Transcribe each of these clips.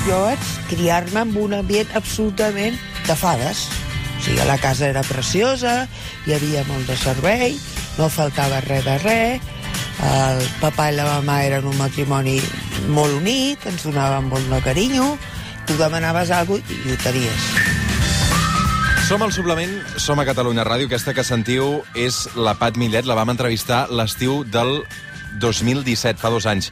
jo vaig criar-me en un ambient absolutament de fades. O sigui, la casa era preciosa, hi havia molt de servei, no faltava res de res, el papà i la mamà eren un matrimoni molt unit, ens donaven molt de carinyo, tu demanaves alguna cosa i ho tenies. Som al Suplement, som a Catalunya Ràdio. Aquesta que sentiu és la Pat Millet. La vam entrevistar l'estiu del 2017, fa 2 anys.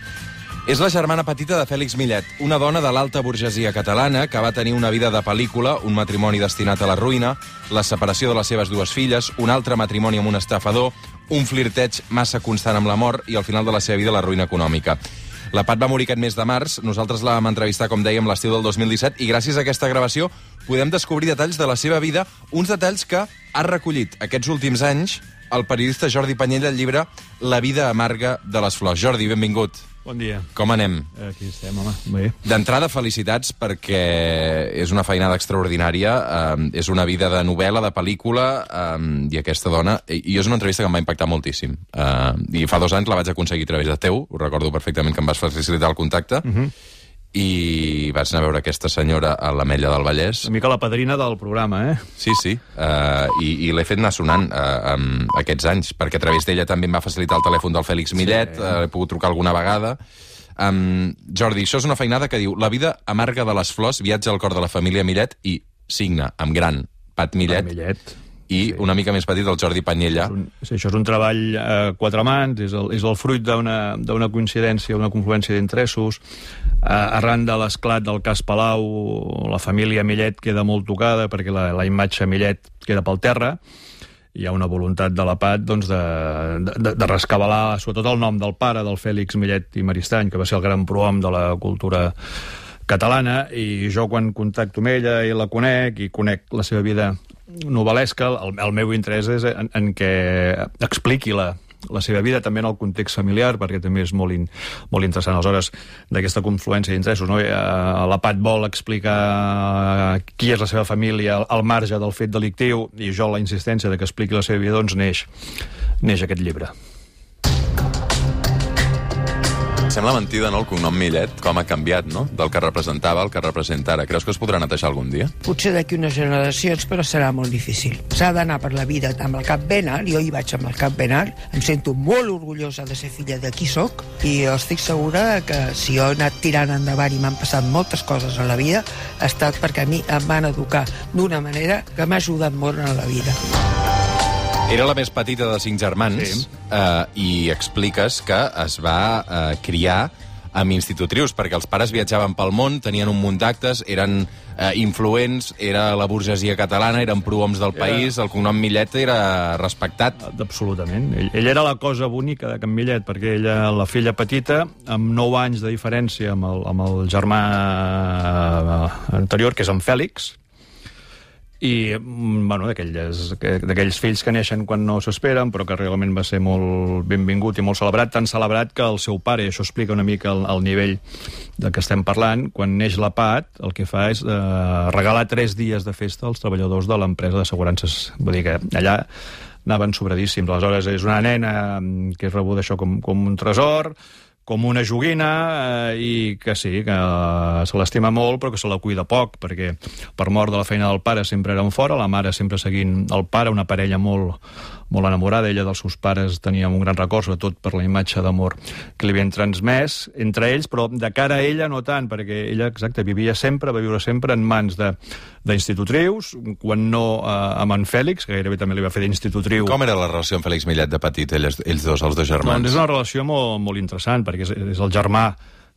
És la germana petita de Fèlix Millet, una dona de l'alta burgesia catalana que va tenir una vida de pel·lícula, un matrimoni destinat a la ruïna, la separació de les seves 2 filles, un altre matrimoni amb un estafador, un flirteig massa constant amb la mort i al final de la seva vida la ruïna econòmica. La Pat va morir aquest mes de març, nosaltres la vam entrevistar, com dèiem, l'estiu del 2017, i gràcies a aquesta gravació podem descobrir detalls de la seva vida, uns detalls que ha recollit aquests últims anys el periodista Jordi Panyella al llibre La vida amarga de les flors. Jordi, benvingut. Bon dia. Com anem? Aquí estem, home. Bé. D'entrada, felicitats, perquè és una feinada extraordinària, és una vida de novel·la, de pel·lícula, i aquesta dona... I és una entrevista que em va impactar moltíssim. I fa 2 anys la vaig aconseguir a través de teu, ho recordo perfectament, que em vas facilitar el contacte, i vaig anar a veure aquesta senyora a l'Ametlla del Vallès. Una mica la padrina del programa, eh? Sí, sí. I l'he fet anar sonant aquests anys, perquè a través d'ella també em va facilitar el telèfon del Fèlix Millet, he pogut trucar alguna vegada. Jordi, això és una feinada que diu: la vida amarga de les flors, viatja al cor de la família Millet, i signa amb gran Pat Millet. I una mica més petit el Jordi Panyella. Això és un treball a 4 mans, és el fruit d'una coincidència, una confluència d'interessos. Arran de l'esclat del cas Palau, la família Millet queda molt tocada perquè la imatge Millet queda pel terra. Hi ha una voluntat de la Pat de rescabalar sobretot el nom del pare, del Fèlix Millet i Maristany, que va ser el gran prohom de la cultura catalana, i jo quan contacto amb ella i la conec, i conec la seva vida novel·lesca, el meu interès és en què expliqui la seva vida, també en el context familiar, perquè també és molt interessant. Aleshores, d'aquesta confluència d'interessos, no? La Pat vol explicar qui és la seva família al marge del fet delictiu, i jo la insistència de que expliqui la seva vida, doncs neix aquest llibre. Sembla mentida, no?, el cognom Millet, com ha canviat, no?, del que representava al que representa ara. Creus que es podrà netejar algun dia? Potser d'aquí unes generacions, però serà molt difícil. S'ha d'anar per la vida amb el cap ben alt, jo hi vaig amb el cap ben alt, em sento molt orgullosa de ser filla de qui soc, i jo estic segura que si jo he anat tirant endavant i m'han passat moltes coses a la vida, ha estat perquè a mi em van educar d'una manera que m'ha ajudat molt en la vida. Era la més petita de 5 germans, i expliques que es va criar amb institutrius, perquè els pares viatjaven pel món, tenien un munt d'actes, eren influents, era la burgesia catalana, eren prohoms del país, el cognom Millet era respectat. Absolutament. Ell era la cosa bonica de Can Millet, perquè ella, la filla petita, amb 9 anys de diferència amb el germà anterior, que és en Fèlix, i, bueno, d'aquells fills que neixen quan no s'esperen, però que realment va ser molt benvingut i molt celebrat, tan celebrat que el seu pare, i això explica una mica el nivell de què estem parlant, quan neix la Pat, el que fa és regalar 3 dies de festa als treballadors de l'empresa d'assegurances. Vull dir que allà anaven sobradíssims. Aleshores, és una nena que és rebuda això com un tresor, com una joguina, i que sí, que se l'estima molt, però que se la cuida poc, perquè per mort de la feina del pare sempre eren fora, la mare sempre seguint el pare, una parella molt enamorada, ella dels seus pares tenia un gran record, sobretot per la imatge d'amor que li havien transmès entre ells, però de cara a ella no tant, perquè ella, exacte, va viure sempre en mans d'institutrius, quan no amb en Fèlix, que gairebé també li va fer d'institutriu. Com era la relació amb Fèlix Millet de petit, ells dos, els 2 germans? Doncs és una relació molt interessant, perquè és el germà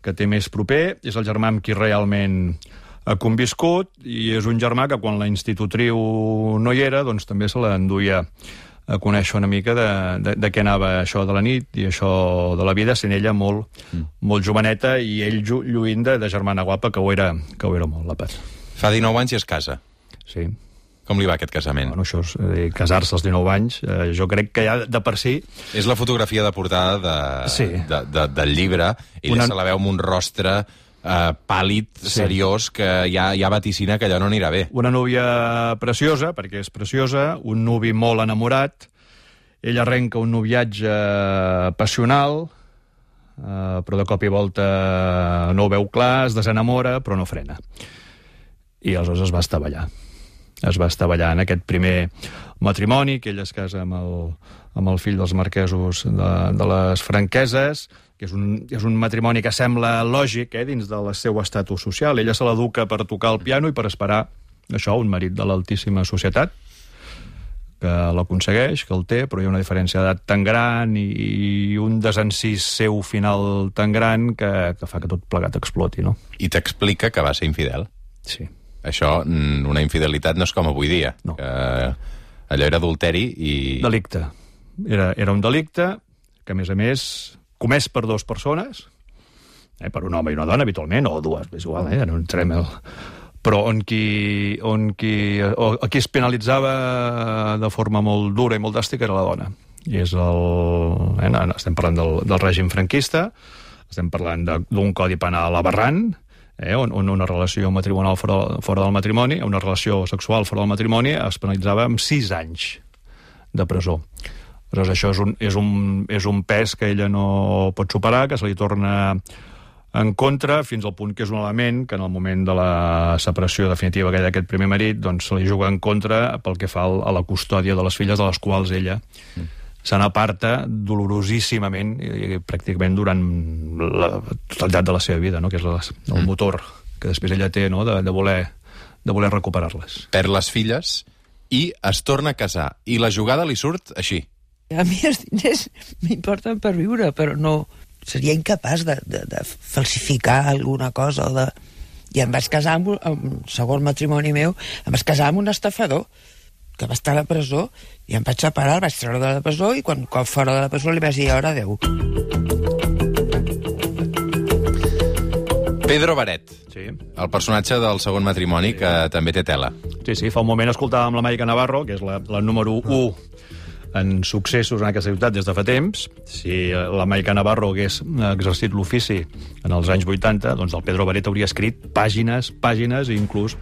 que té més proper, és el germà amb qui realment ha conviscut, i és un germà que quan la institutriu no hi era, doncs també se l'enduia a conèixer una mica de què anava això de la nit i això de la vida, sent ella molt joveneta, i ell lluint de germana guapa, que ho era molt, la Pat. Fa 19 anys i es casa. Sí. Com li va aquest casament? Bueno, això és casar-se als 19 anys, jo crec que ja de per si... És la fotografia de portada del llibre, ella se la veu amb un rostre pàl·lid, seriós, que ja vaticina que allò no anirà bé. Una núvia preciosa, perquè és preciosa, un nuvi molt enamorat, ell arrenca un noviatge passional, però de cop i volta no ho veu clar, es desenamora, però no frena. I aleshores es va estavellar. Es va estavellar en aquest primer matrimoni, que ell es casa amb el fill dels marquesos de les Franqueses, que és un matrimoni que sembla lògic dins del seu estatus social. Ella se l'educa per tocar el piano i per esperar això, un marit de l'altíssima societat, que l'aconsegueix, que el té, però hi ha una diferència d'edat tan gran i un desencís seu final tan gran que fa que tot plegat exploti, no? I t'explica que va ser infidel. Sí. Això, una infidelitat no és com avui dia. No. Que allò era adulteri i... Delicte. Era un delicte que, a més, comès per dues persones, per un home i una dona, habitualment, o dues, és igual, no entrem però qui es penalitzava de forma molt dura i molt dràstica era la dona. I és estem parlant del règim franquista, estem parlant d'un codi penal aberrant, on una relació matrimonial fora del matrimoni, una relació sexual fora del matrimoni, es penalitzava amb 6 anys de presó. Aleshores, això és un pes que ella no pot superar, que se li torna en contra, fins al punt que és un element que en el moment de la separació definitiva d'aquest primer marit, doncs se li juga en contra pel que fa a la custòdia de les filles, de les quals ella se n'aparta dolorosíssimament i pràcticament durant la totalitat de la seva vida, no? Que és el motor que després ella té, no? de voler recuperar-les. Perd les filles i es torna a casar. I la jugada li surt així. A mi els diners m'importen per viure, però no... Seria incapaç de falsificar alguna cosa I em vaig casar amb el segon matrimoni meu, em vaig casar amb un estafador que va estar a la presó i em vaig separar, el vaig treure de la presó i quan fora de la presó li vaig dir ara adeu. Pedro Baret, sí. El personatge del segon matrimoni, que també té tela. Sí, fa un moment escoltàvem la Maica Navarro, que és la número 1 en successos en aquesta ciutat des de fa temps. Si la Maica Navarro hagués exercit l'ofici en els anys 80, doncs el Pedro Baret hauria escrit pàgines, i inclús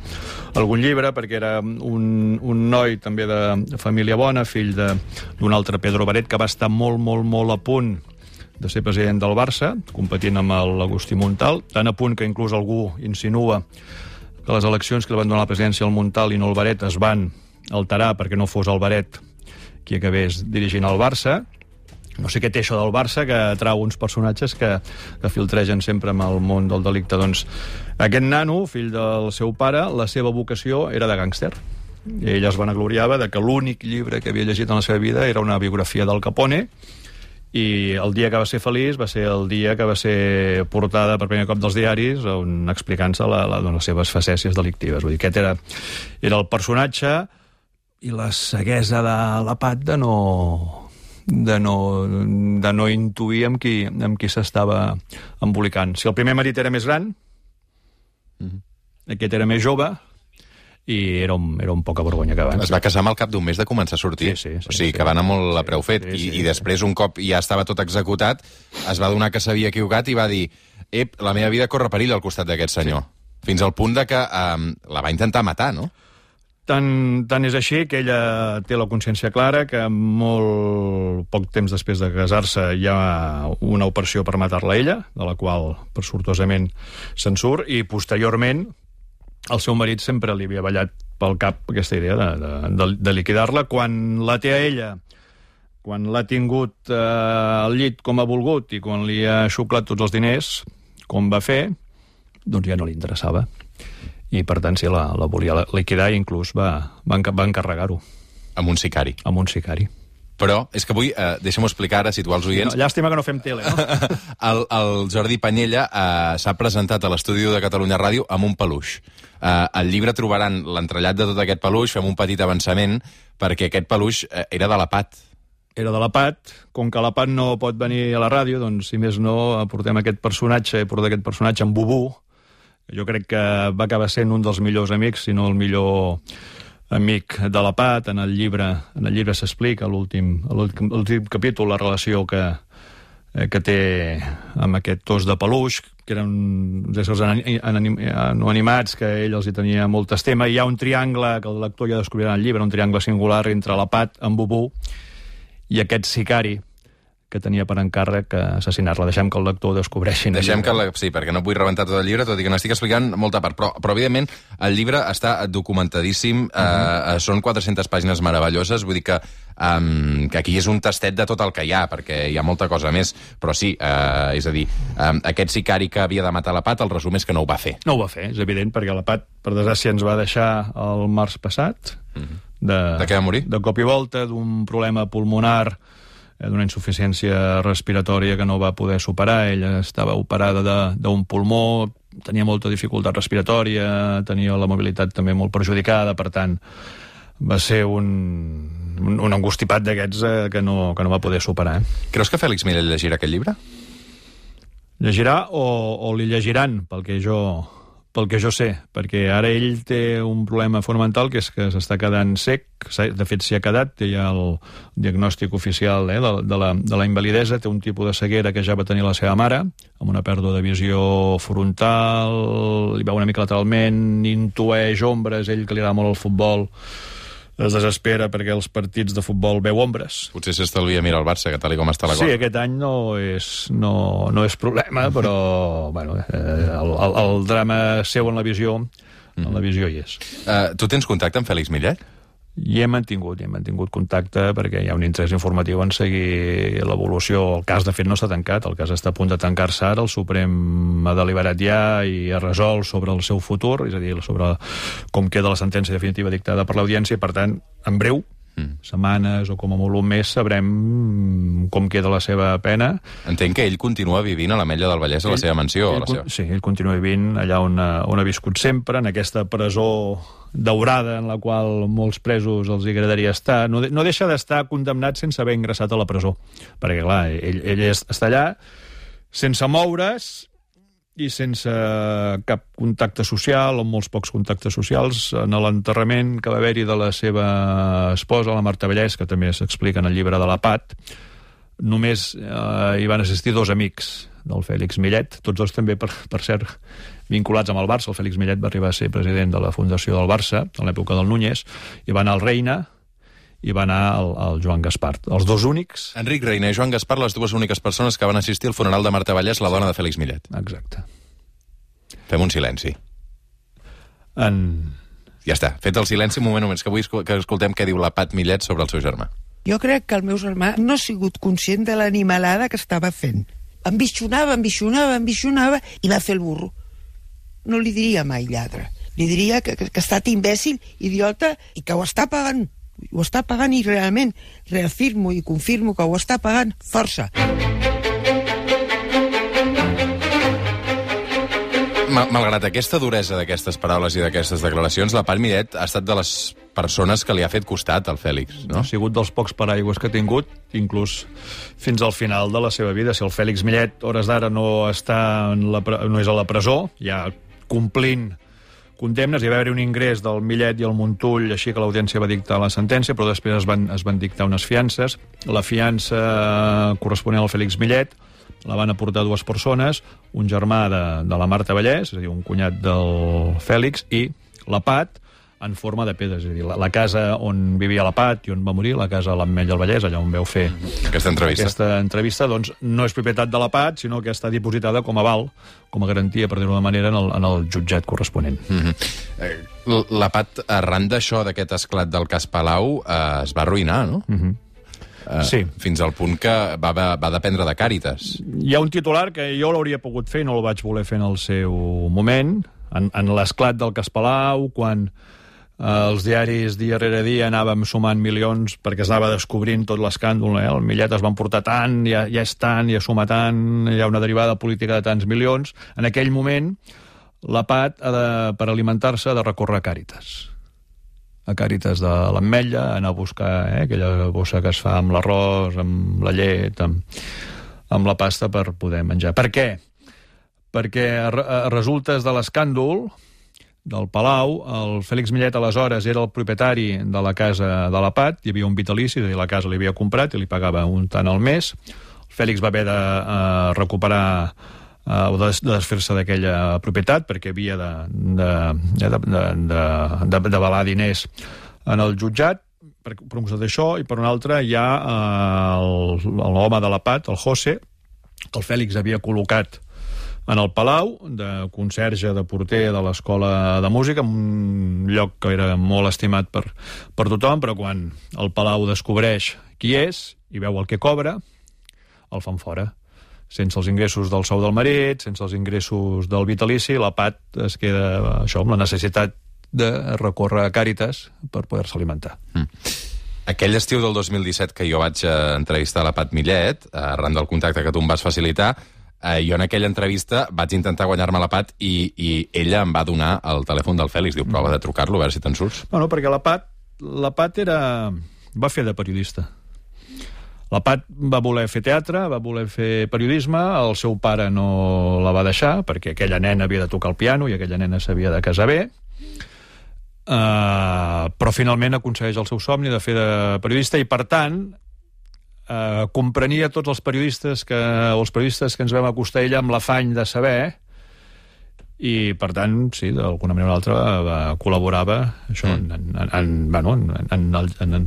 algun llibre, perquè era un noi també de família bona, fill d'un altre Pedro Baret, que va estar molt a punt de ser president del Barça, competint amb l'Agustí Montal, tan a punt que inclús algú insinua que les eleccions que li van donar la presidència al Montal i no al Baret es van alterar perquè no fos el Baret qui acabés dirigint el Barça. No sé què té això del Barça, que atrau uns personatges que filtregen sempre amb el món del delicte. Doncs aquest nano, fill del seu pare, la seva vocació era de gàngster. I ella es vanagloriava de que l'únic llibre que havia llegit en la seva vida era una biografia del Capone, i el dia que va ser feliç va ser el dia que va ser portada per primer cop dels diaris explicant-se les seves facècies delictives. Vull dir, aquest era el personatge i la ceguesa de la Pat de no intuir amb qui s'estava embolicant. Si el primer marit era més gran, aquest era més jove, i era un poca vergonya que abans. Es va casar amb al cap d'un mes de començar a sortir. Sí, o sigui, que va anar molt a preu fet. I després, un cop ja estava tot executat, es va adonar que s'havia equivocat i va dir la meva vida corre perill al costat d'aquest senyor. Fins al punt de que la va intentar matar, no? Tant és així que ella té la consciència clara que molt poc temps després de casar-se hi ha una operació per matar-la a ella, de la qual, per sortosament, se'n surt, i posteriorment el seu marit sempre li havia ballat pel cap aquesta idea de liquidar-la. Quan la té a ella, quan l'ha tingut al llit com ha volgut i quan li ha xuclat tots els diners, com va fer, doncs ja no li interessava. I, per tant, sí, la volia liquidar i inclús va encarregar-ho. Amb un sicari. Amb un sicari. Però és que avui, deixa'm-ho explicar ara, situar els oients... No, llàstima que no fem tele, no? El Jordi Panyella s'ha presentat a l'estudi de Catalunya Ràdio amb un peluix. Al llibre trobaran l'entrellat de tot aquest peluix, fem un petit avançament, perquè aquest peluix era de la Pat. Era de la Pat. Com que la Pat no pot venir a la ràdio, doncs, si més no, portem aquest personatge, en Bubú. Jo crec que va acabar sent un dels millors amics, si no el millor amic de la Pat. En el llibre s'explica, a l'últim capítol, la relació que té amb aquest os de peluix, que eren uns éssers no animats, que ell els hi tenia molt estima. Hi ha un triangle, que el lector ja descobrirà en el llibre, un triangle singular entre la Pat, en Bubú, i aquest sicari, que tenia per encàrrec assassinar-la. Deixem que el lector ho descobreixi. Sí, perquè no vull rebentar tot el llibre, tot i que n'estic explicant molta part. Però evidentment, el llibre està documentadíssim, són 400 pàgines meravelloses, vull dir que aquí és un tastet de tot el que hi ha, perquè hi ha molta cosa més. Però sí, és a dir, aquest sicari que havia de matar la Pat, el resum és que no ho va fer. No ho va fer, és evident, perquè la Pat, per desgràcia, ens va deixar el març passat. De què va morir? De cop i volta, d'un problema pulmonar, d'una insuficiència respiratòria que no va poder superar. Ella estava operada d'un pulmó, tenia molta dificultat respiratòria, tenia la mobilitat també molt perjudicada, per tant, va ser un angustipat d'aquests que no va poder superar. Creus que Fèlix Millet llegirà aquest llibre? Llegirà o li llegiran, pel que jo sé, perquè ara ell té un problema fonamental, que és que s'està quedant sec. De fet, s'hi ha quedat, té ja el diagnòstic oficial de la invalidesa, té un tipus de ceguera que ja va tenir la seva mare, amb una pèrdua de visió frontal, li veu una mica lateralment, intueix ombres, ell que li agrada molt el futbol, es desespera perquè els partits de futbol veu ombres. Potser s'estalvia mirar el Barça, que tal com està la cosa. Sí, aquest any no és problema, però bueno, el drama seu en la visió hi és. Tu tens contacte amb Fèlix Millet? Hi hem mantingut contacte perquè hi ha un interès informatiu en seguir l'evolució. El cas, de fet, no està tancat. El cas està a punt de tancar-se ara. El Suprem ha deliberat ja i ha resolt sobre el seu futur, és a dir, sobre com queda la sentència definitiva dictada per l'audiència. Per tant, en breu, setmanes o com a molt un mes, sabrem com queda la seva pena. Entenc que ell continua vivint a l'Ametlla del Vallès, a la seva mansió. Sí, ell continua vivint allà on ha viscut sempre, en aquesta presó daurada en la qual molts presos els agradaria estar. No deixa d'estar condemnat sense haver ingressat a la presó, perquè, clar, ell està allà sense moure's i sense cap contacte social, o molts pocs contactes socials. En l'enterrament que va haver-hi de la seva esposa, la Marta Vallès, que també s'explica en el llibre de la Pat, només hi van assistir 2 amics del Fèlix Millet, tots dos també, per cert, vinculats amb el Barça. El Fèlix Millet va arribar a ser president de la fundació del Barça, en l'època del Núñez, i va anar al Reina, i va anar el Joan Gaspar. Els 2 únics... Enric Reina i Joan Gaspar, les 2 úniques persones que van assistir al funeral de Marta Vallès, la dona de Fèlix Millet. Exacte. Fem un silenci. Ja està, fet el silenci, un moment només, que vull que escoltem què diu la Pat Millet sobre el seu germà. Jo crec que el meu germà no ha sigut conscient de l'animalada que estava fent. Ambicionava i va fer el burro. No li diria mai lladre. Li diria que ha estat imbècil, idiota, i que ho està pagant. Ho està pagant i realment reafirmo i confirmo que ho està pagant. Força. Malgrat aquesta duresa d'aquestes paraules i d'aquestes declaracions, la Pat Millet ha estat de les persones que li ha fet costat al Fèlix, no? Ha sigut dels pocs paraigües que ha tingut, inclús fins al final de la seva vida. Si el Fèlix Millet, hores d'ara, no és a la presó, ja complint condemnes, hi va haver un ingrés del Millet i el Montull, així que l'audiència va dictar la sentència, però després es van dictar unes fiances. La fiança corresponent al Fèlix Millet la van aportar 2 persones, un germà de la Marta Vallès, és a dir, un cunyat del Fèlix, i la Pat, en forma de pedra. És a dir, la casa on vivia la Pat i on va morir, la casa a l'Ametlla del Vallès, allà on vau fer aquesta entrevista, doncs no és propietat de la Pat, sinó que està dipositada com a aval, com a garantia, per dir-ho d'una manera, en el jutjat corresponent. La Pat, arran d'això, d'aquest esclat del cas Palau, es va arruïnar, no? Sí. Fins al punt que va dependre de Càritas. Hi ha un titular que jo l'hauria pogut fer i no el vaig voler fer en el seu moment, en l'esclat del cas Palau, quan els diaris dia rere dia anàvem sumant milions perquè es anava descobrint tot l'escàndol. El Millet es va emportar tant, ja és tant, ja suma tant, hi ha una derivada política de tants milions. En aquell moment, la Pat, per alimentar-se, ha de recórrer a Càritas. A Càritas de l'Ametlla, anar a buscar aquella bossa que es fa amb l'arròs, amb la llet, amb la pasta per poder menjar. Per què? Perquè a resultes de l'escàndol del Palau, el Fèlix Millet aleshores era el propietari de la casa de la Pat, hi havia un vitalici, és a dir, la casa l'havia comprat i li pagava un tant al mes. El Fèlix va haver de recuperar o de desfer-se d'aquella propietat perquè havia d'avalar diners en el jutjat. per un costat d'això, i per un altre hi ha l'home de la PAT, el José, que el Fèlix havia col·locat en el Palau, de conserge, de porter de l'Escola de Música, en un lloc que era molt estimat per tothom, però quan el Palau descobreix qui és i veu el que cobra, el fan fora. Sense els ingressos del sou del marit, sense els ingressos del vitalici, la PAT es queda això, amb la necessitat de recórrer a Càritas per poder-se alimentar. Aquell estiu del 2017 que jo vaig entrevistar la Pat Millet, arran del contacte que tu em vas facilitar, jo en aquella entrevista vaig intentar guanyar-me la Pat i ella em va donar el telèfon del Fèlix. Diu, prova de trucar-lo, a veure si te'n surts. Bueno, perquè la Pat va fer de periodista. La Pat va voler fer teatre, va voler fer periodisme, el seu pare no la va deixar, perquè aquella nena havia de tocar el piano i aquella nena s'havia de casar bé, però finalment aconsegueix el seu somni de fer de periodista i, per tant, comprenia tots els periodistes que ens vam acostar a ella amb l'afany de saber, i, per tant, sí, d'alguna manera o altra col·laborava això, en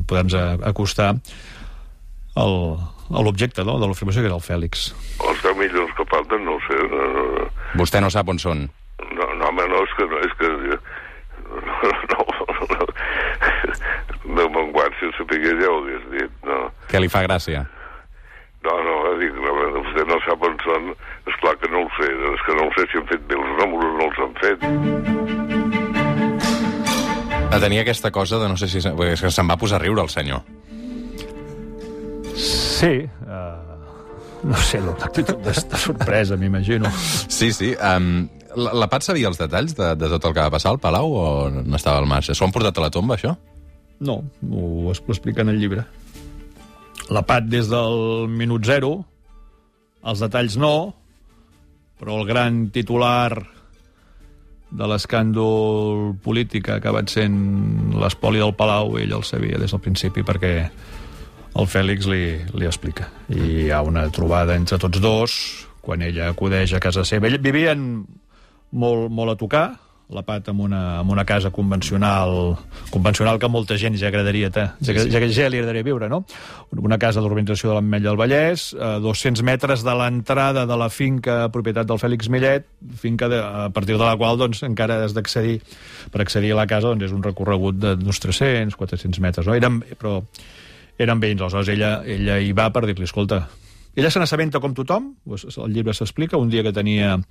poder-nos acostar a l'objecte de l'afirmació, que era el Fèlix. Els 10 milions que falten, no ho sé. Vostè no sap on són? No, home, no, és que no me'n guard, si ho sapigués ja ho hagués dit, no. Què li fa gràcia? No, dic, vostè no sap on són, esclar que no ho sé, és que no ho sé si han fet bé els números, no els han fet. Tenia aquesta cosa de no sé si... És que se'n va posar a riure el senyor. Sí, no sé, l'actitud de sorpresa, m'imagino. Sí. La Pat sabia els detalls de tot el que va passar al Palau o n'estava al marge? S'ho han portat a la tomba, això? No, ho explica en el llibre. La Pat, des del minut zero, els detalls no, però el gran titular de l'escàndol polític que ha acabat sent l'espoli del Palau, ell el sabia des del principi, perquè el Fèlix li explica. I hi ha una trobada entre tots dos, quan ella acudeix a casa seva. Vivien molt a tocar, la Pat amb una casa convencional que a molta gent ja agradaria ja li agradaria viure, no? Una casa d'urbanització de l'Ametlla del Vallès, a 200 metres de l'entrada de la finca propietat del Fèlix Millet, finca a partir de la qual doncs, encara has d'accedir. Per accedir a la casa doncs, és un recorregut d'uns 300-400 metres, no? Però eren veïns, aleshores ella hi va per dir-li, escolta, ella se n'assabenta com tothom, el llibre s'explica, un dia que tenia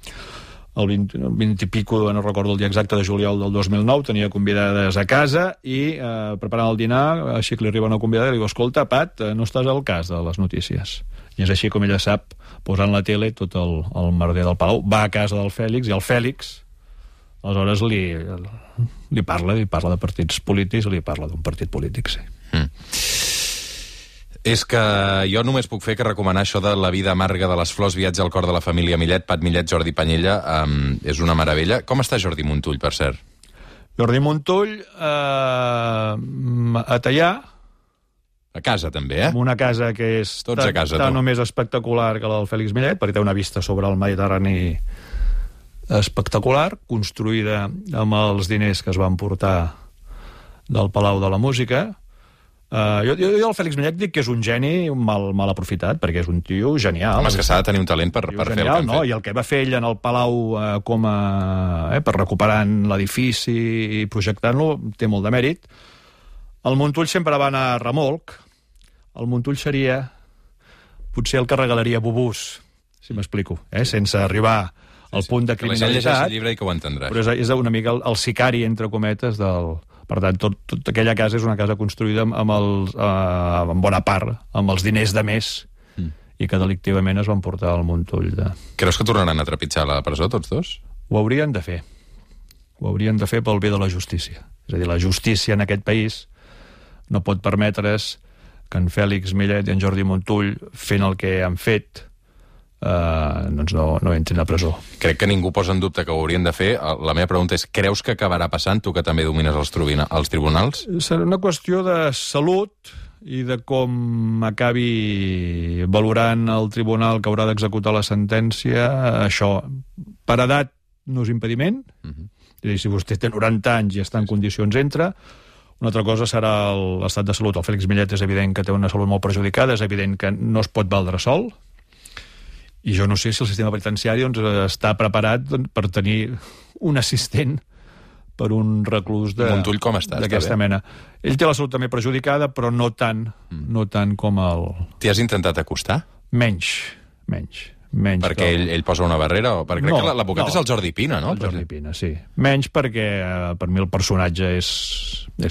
el 20 i pico, no recordo el dia exacte, de juliol del 2009, tenia convidades a casa i preparant el dinar, així que li arriba una convidada i li diu, escolta, Pat, no estàs al cas de les notícies. I és així com ella sap, posant la tele, tot el merder del Palau, va a casa del Fèlix, i el Fèlix aleshores li parla de partits polítics, li parla d'un partit polític, sí. És que jo només puc fer que recomanar això de La vida amarga de les flors, viatge al cor de la família Millet, Pat Millet, Jordi Panyella, és una meravella. Com està Jordi Montull, per cert? Jordi Montull, a Teià. A casa, també, amb una casa que és tan o més espectacular que la del Fèlix Millet, perquè té una vista sobre el Mediterrani espectacular, construïda amb els diners que es van portar del Palau de la Música. Jo al Fèlix Millet dic que és un geni mal aprofitat, perquè és un tio genial. Home, és que s'ha de tenir un talent per fer el que han fet. I el que va fer ell en el Palau per recuperant l'edifici i projectant-lo té molt de mèrit. El Montull sempre va anar a remolc. El Montull seria potser el que regalaria bubús, si m'explico, sense arribar al punt de criminalitat. Que la gent llegeixi el llibre i que ho entendrà. Però és una mica el sicari, entre cometes, del... Per tant, tota aquella casa és una casa construïda en bona part amb els diners de més i que delictivament es van portar al Montull. Creus que tornaran a trepitjar la presó, tots dos? Ho haurien de fer. Ho haurien de fer pel bé de la justícia. És a dir, la justícia en aquest país no pot permetre's que en Fèlix Millet i en Jordi Montull, fent el que han fet, doncs no entrin a presó. Crec que ningú posa en dubte que ho haurien de fer. La meva pregunta és, creus que acabarà passant, tu que també domines els tribunals? Serà una qüestió de salut i de com acabi valorant el tribunal que haurà d'executar la sentència. Això, per edat, no és impediment. És a dir, si vostè té 90 anys i està en condicions, entra. Una altra cosa serà l'estat de salut. El Fèlix Millet és evident que té una salut molt perjudicada, és evident que no es pot valdre sol, i jo no sé si el sistema penitenciari està preparat per tenir un assistent per un reclús Montull com està? D'aquesta mena. Ell té la salut també perjudicada, però no tant com el... T'hi has intentat acostar? Menys. Perquè ell posa una barrera? Perquè crec que l'advocat és el Jordi Pina, no? El Jordi Pina, sí. Menys perquè, per mi, el personatge és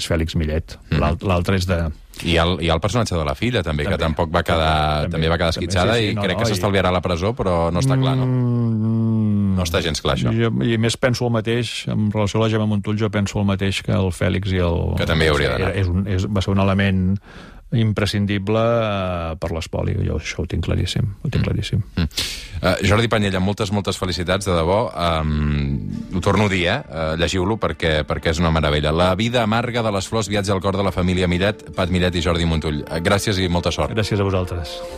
Fèlix Millet. L'altre és de... I el personatge de la filla, també, que tampoc va quedar esquitxada, i crec que s'estalviarà a la presó, però no està clar, no? No està gens clar, això. I més penso el mateix, en relació a la Gemma Montull, jo penso el mateix que el Fèlix i el... Que també hauria d'anar. Va ser un element imprescindible per l'espoli. Jo això ho tinc claríssim. Jordi Panyella, moltes felicitats, de debò. Ho torno a dir, llegiu-lo perquè és una meravella. La vida amarga de les flors, viatge al cor de la família Millet, Pat Millet i Jordi Montull. Gràcies i molta sort. Gràcies a vosaltres.